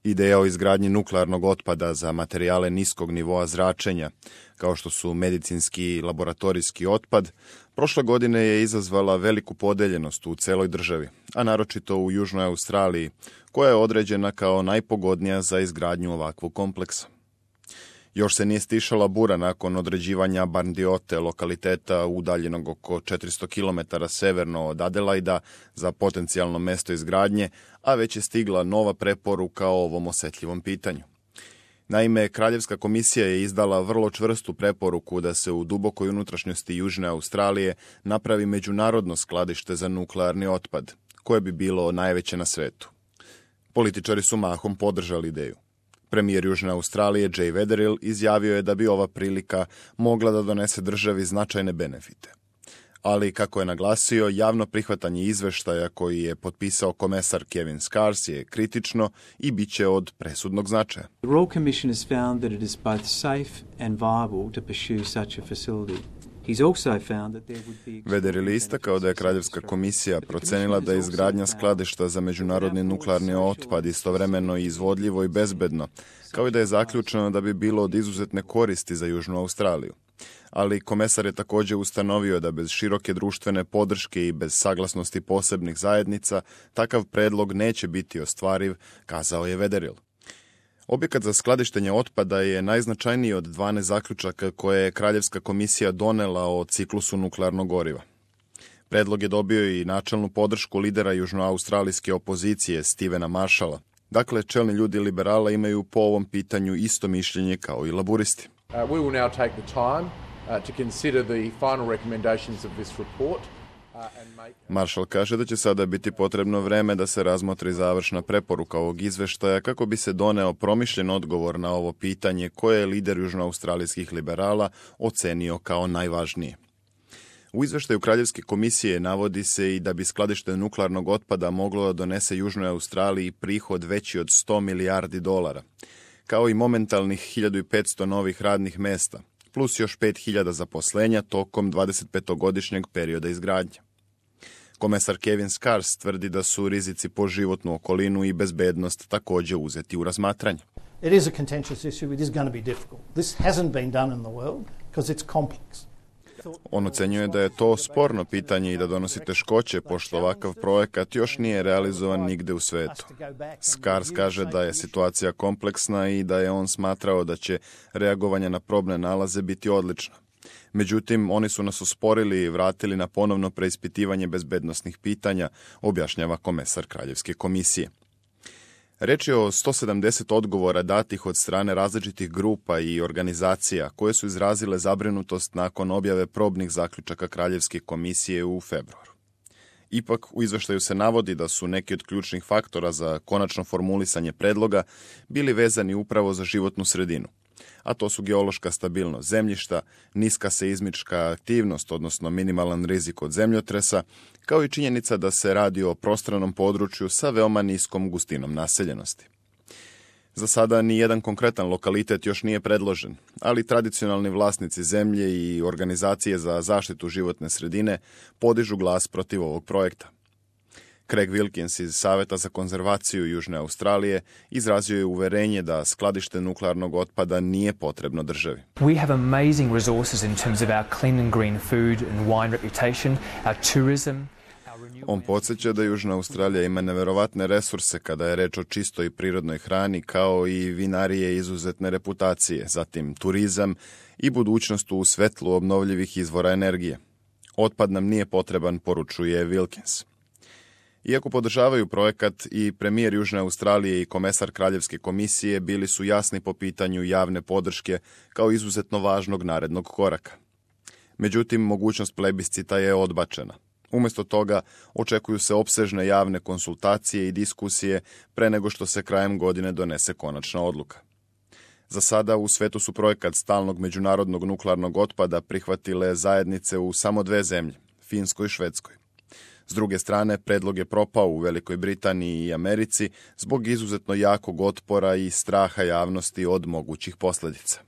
Ideja o izgradnji nuklearnog otpada za materijale niskog nivoa zračenja, kao što su medicinski i laboratorijski otpad, prošle godine je izazvala veliku podeljenost u celoj državi, a naročito u Južnoj Australiji, koja je određena kao najpogodnija za izgradnju ovakvog kompleksa. Još se nije stišala bura nakon određivanja Barndiote, lokaliteta udaljenog oko 400 km severno od Adelaida, za potencijalno mesto izgradnje, a već je stigla nova preporuka o ovom osetljivom pitanju. Naime, Kraljevska komisija je izdala vrlo čvrstu preporuku da se u dubokoj unutrašnjosti Južne Australije napravi međunarodno skladište za nuklearni otpad, koje bi bilo najveće na svetu. Političari su mahom podržali ideju. Premijer Južne Australije Jay Weatherill izjavio je da bi ova prilika mogla da donese državi značajne benefite. Ali, kako je naglasio, javno prihvatanje izveštaja koji je potpisao komesar Kevin Scars je kritično i bit će od presudnog značaja. The Royal Commission has found that it is both safe and viable to pursue such a facility. Weatherill je istakao da je Kraljevska komisija procenila da je izgradnja skladišta za međunarodni nuklearni otpad istovremeno izvodljivo i bezbedno, kao i da je zaključeno da bi bilo od izuzetne koristi za Južnu Australiju. Ali komesar je također ustanovio da bez široke društvene podrške i bez saglasnosti posebnih zajednica takav predlog neće biti ostvariv, kazao je Weatherill. Objekat za skladištenje otpada je najznačajniji od 12 zaključaka koje je Kraljevska komisija donela o ciklusu nuklearnog goriva. Predlog je dobio i načelnu podršku lidera južnoaustralijske opozicije Stevena Marshalla. Dakle, čelni ljudi liberala imaju po ovom pitanju isto mišljenje kao i laburisti. We will now take the time to consider the final recommendations of this report. Marshall kaže da će sada biti potrebno vreme da se razmotri završna preporuka ovog izveštaja kako bi se doneo promišljen odgovor na ovo pitanje koje je lider južnoaustralijskih liberala ocenio kao najvažnije. U izveštaju Kraljevske komisije navodi se i da bi skladište nuklearnog otpada moglo da donese Južnoj Australiji prihod veći od $100 milijardi, kao i momentalnih 1500 novih radnih mesta, plus još 5000 zaposlenja tokom 25-godišnjeg perioda izgradnje. Komesar Kevin Scars tvrdi da su rizici po životnu okolinu i bezbednost također uzeti u razmatranje. It is a contentious issue. It is going to be difficult. This hasn't been done in the world because it's complex. On ocenjuje da je to sporno pitanje i da donosi teškoće, pošto ovakav projekat još nije realizovan nigde u svetu. Scars kaže da je situacija kompleksna i da je on smatrao da će reagovanje na probne nalaze biti odlično. Međutim, oni su nas usporili i vratili na ponovno preispitivanje bezbednosnih pitanja, objašnjava komesar Kraljevske komisije. Reč je o 170 odgovora datih od strane različitih grupa i organizacija koje su izrazile zabrinutost nakon objave probnih zaključaka Kraljevske komisije u februaru. Ipak, u izveštaju se navodi da su neki od ključnih faktora za konačno formulisanje predloga bili vezani upravo za životnu sredinu, a to su geološka stabilnost zemljišta, niska seizmička aktivnost, odnosno minimalan rizik od zemljotresa, kao i činjenica da se radi o prostranom području sa veoma niskom gustinom naseljenosti. Za sada ni jedan konkretan lokalitet još nije predložen, ali tradicionalni vlasnici zemlje i organizacije za zaštitu životne sredine podižu glas protiv ovog projekta. Craig Wilkins iz Saveta za konzervaciju Južne Australije izrazio je uverenje da skladište nuklearnog otpada nije potrebno državi. We have amazing resources in terms of our clean and green food and wine reputation, our tourism. On podsjeća da Južna Australija ima neverovatne resurse kada je reč o čistoj i prirodnoj hrani, kao i vinarije izuzetne reputacije, zatim turizam i budućnost u svetlu obnovljivih izvora energije. Otpad nam nije potreban, poručuje Wilkins. Iako podržavaju projekat, i premijer Južne Australije i komesar Kraljevske komisije bili su jasni po pitanju javne podrške kao izuzetno važnog narednog koraka. Međutim, mogućnost plebiscita je odbačena. Umjesto toga očekuju se opsežne javne konsultacije i diskusije pre nego što se krajem godine donese konačna odluka. Za sada u svetu su projekat stalnog međunarodnog nuklearnog otpada prihvatile zajednice u samo 2 zemlje, Finskoj i Švedskoj. S druge strane, predlog je propao u Velikoj Britaniji i Americi zbog izuzetno jakog otpora i straha javnosti od mogućih posljedica.